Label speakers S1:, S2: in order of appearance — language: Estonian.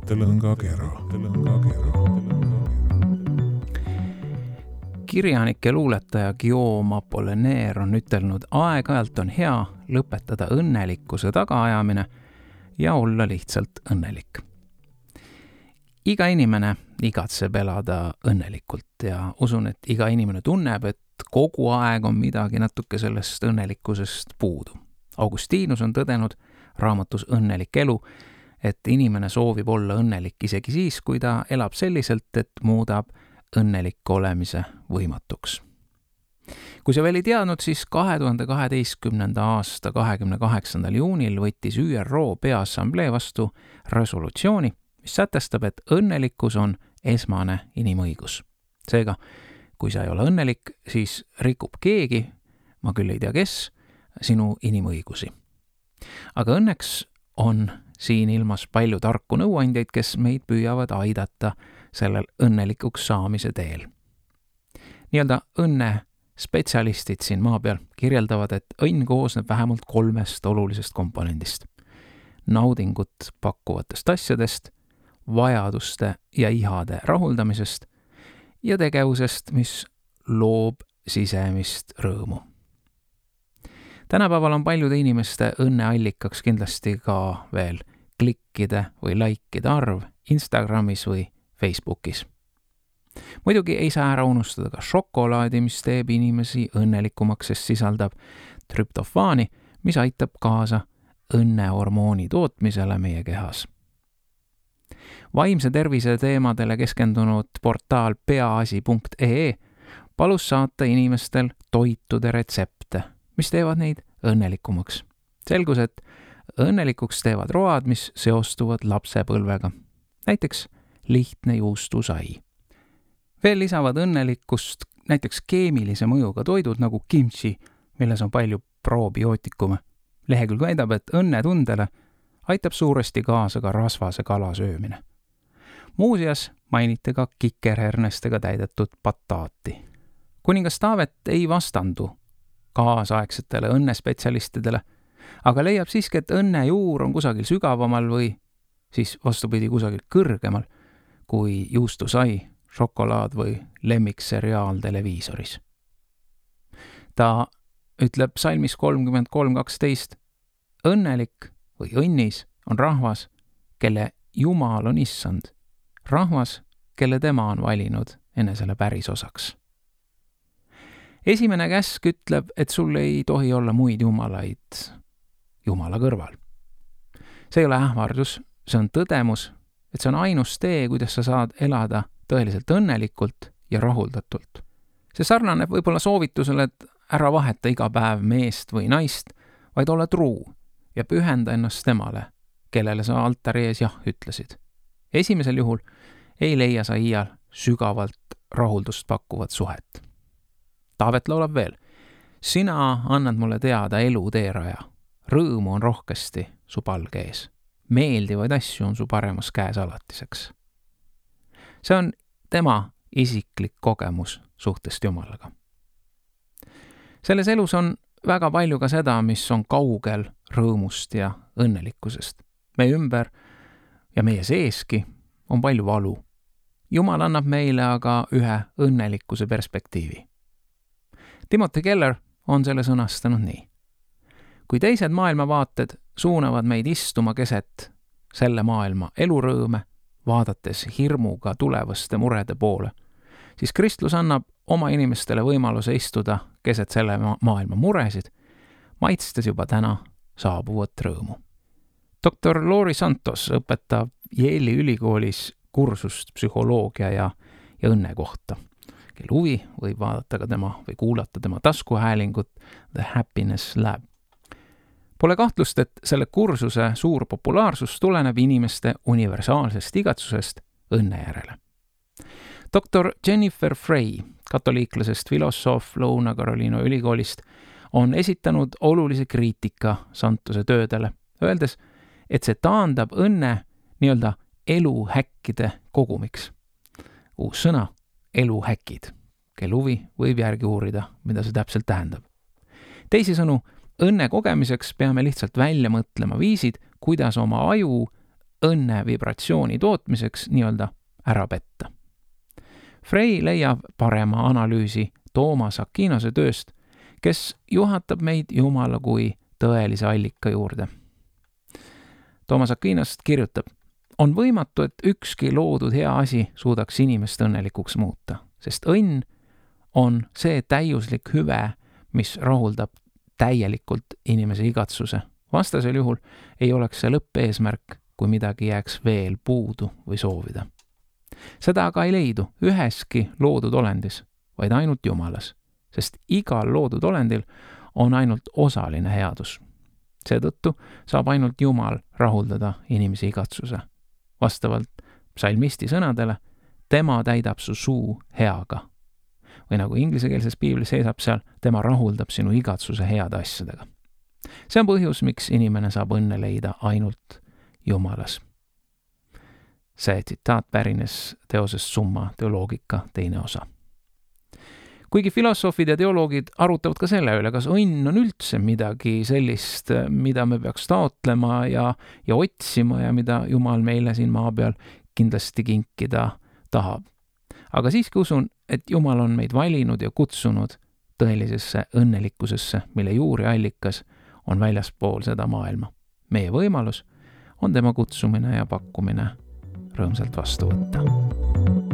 S1: mõttelõngakera.
S2: Kirjanik ja luuletaja Guillaume Apollinaire on ütelnud, aeg-ajalt on hea lõpetada õnnelikkuse tagaajamine ja olla lihtsalt õnnelik. Iga inimene igatseb elada õnnelikult ja usun, et iga inimene tunneb, et kogu aeg on midagi natuke sellest õnnelikkusest puudu. Augustinus on tõdenud raamatus Õnnelik elu, et inimene soovib olla õnnelik isegi siis, kui ta elab selliselt, et muudab õnnelik olemise võimatuks. Kui sa veel ei teadnud, siis 2012. aasta 28. juunil võttis ÜRO Peaassamblee vastu resolutsiooni, mis sätestab, et õnnelikkus on esmane inimõigus. Seega, kui sa ei ole õnnelik, siis rikub keegi, ma küll ei tea kes, sinu inimõigusi. Aga õnneks on siin ilmas palju tarku nõuandjaid, kes meid püüavad aidata sellel õnnelikuks saamise teel. Nii-öelda õnne spetsialistid siin maa peal kirjeldavad, et õnn koosneb vähemalt 3 olulisest komponendist. Naudingut pakkuvatest asjadest, vajaduste ja ihade rahuldamisest ja tegevusest, mis loob sisemist rõõmu. Tänapäeval on paljude inimeste õnneallikaks kindlasti ka veel klikkide või laikide arv Instagramis või Facebookis. Muidugi ei saa ära unustada ka šokolaadi, mis teeb inimesi õnnelikumaks, sest sisaldab trüptofaani, mis aitab kaasa õnnehormooni tootmisele meie kehas. Vaimse tervise teemadele keskendunud portaal peaasi.ee palus saata inimestel toitude retsepte, mis teevad neid õnnelikumaks. Selgus, et õnnelikuks teevad road, mis seostuvad lapsepõlvega. Näiteks lihtne juustusai. Veel lisavad õnnelikkust näiteks keemilise mõjuga toidud nagu kimchi, milles on palju probiootikume. Lehekülg väidab, et õnnetundele aitab suuresti kaasa ka rasvase kala söömine. Muuseas mainiti ka kikerhernestega täidetud bataati. Kuningas Taavet ei vastandu kaasaegsetele õnnespetsialistidele, aga leiab siiski, et õnne juur on kusagil sügavamal või siis vastupidi kusagil kõrgemal kui juustusai, šokolaad või lemmikseriaal televiisoris. Ta ütleb salmis 33:12, õnnelik või õnnis on rahvas, kelle Jumal on issand, rahvas, kelle tema on valinud enesele päris osaks. Esimene käsk ütleb, et sul ei tohi olla muid jumalaid Jumala kõrval. See ei ole ähvardus, see on tõdemus, et see on ainus tee, kuidas sa saad elada tõeliselt õnnelikult ja rahuldatult. See sarnaneb võib-olla soovitusele, et ära vaheta iga päev meest või naist, vaid ole truu ja pühenda ennast temale, kellele sa altari ees jah ütlesid. Esimesel juhul ei leia sa iial sügavalt rahuldust pakkuvat suhet. Taavet laulab veel, sina annad mulle teada elu teeraja, rõõmu on rohkesti su palge ees, meeldivaid asju on su paremas käes alatiseks. See on tema isiklik kogemus suhtest Jumalaga. Selles elus on väga palju ka seda, mis on kaugel rõõmust ja õnnelikkusest. Meie ümber ja meie seeski on palju valu. Jumal annab meile aga ühe õnnelikkuse perspektiivi. Timothy Keller on selle sõnastanud nii. Kui teised maailmavaated suunavad meid istuma keset selle maailma elurõõme, vaadates hirmuga tulevaste murede poole, siis Kristus annab oma inimestele võimaluse istuda keset selle maailma muresid, maitstes juba täna saabuvat rõõmu. Dr. Lori Santos õpetab Yale'i ülikoolis kursust psühholoogia ja õnne kohta. Kel huvi võib vaadata ka tema või kuulata tema taskuhäälingut The Happiness Lab. Pole kahtlust, et selle kursuse suur populaarsus tuleneb inimeste universaalsest igatsusest õnne järele. Dr. Jennifer Frey, katoliiklasest filosoof Lõuna-Carolina ülikoolist, on esitanud olulise kriitika Santose töödele, öeldes, et see taandab õnne nii-öelda eluhäkkide kogumiks. Uus sõna, eluhäkid. Kel huvi võib järgi uurida, mida see täpselt tähendab. Teisisõnu, õnne kogemiseks peame lihtsalt välja mõtlema viisid, kuidas oma aju õnne vibratsiooni tootmiseks nii-öelda ära petta. Frey leiab parema analüüsi Toomas Aquinos'e tööst, kes juhatab meid Jumala kui tõelise allika juurde. Toomas Aquinos kirjutab, on võimatu, et ükski loodud hea asi suudaks inimest õnnelikuks muuta, sest õnn on see täiuslik hüve, mis rahuldab täielikult inimese igatsuse. Vastasel juhul ei oleks see lõppeesmärk, kui midagi jääks veel puudu või soovida. Seda aga ei leidu üheski loodud olendis, vaid ainult Jumalas, sest igal loodud olendil on ainult osaline headus. Seetõttu saab ainult Jumal rahuldada inimese igatsuse. Vastavalt psalmisti sõnadele, tema täidab su suu heaga. Või nagu inglisekeelses piiblis seisab seal, tema rahuldab sinu igatsuse heade asjadega. See on põhjus, miks inimene saab õnne leida ainult Jumalas. See tsitaat pärines teosest Summa teoloogika teine osa. Kuigi filosoofid ja teoloogid arutavad ka selle üle, kas õnn on üldse midagi sellist, mida me peaks taotlema ja otsima ja mida Jumal meile siin maa peal kindlasti kinkida tahab. Aga siiski usun, et Jumal on meid valinud ja kutsunud tõelisesse õnnelikkusesse, mille juuri allikas on väljaspool seda maailma. Meie võimalus on tema kutsumine ja pakkumine rõõmsalt vastu võtta.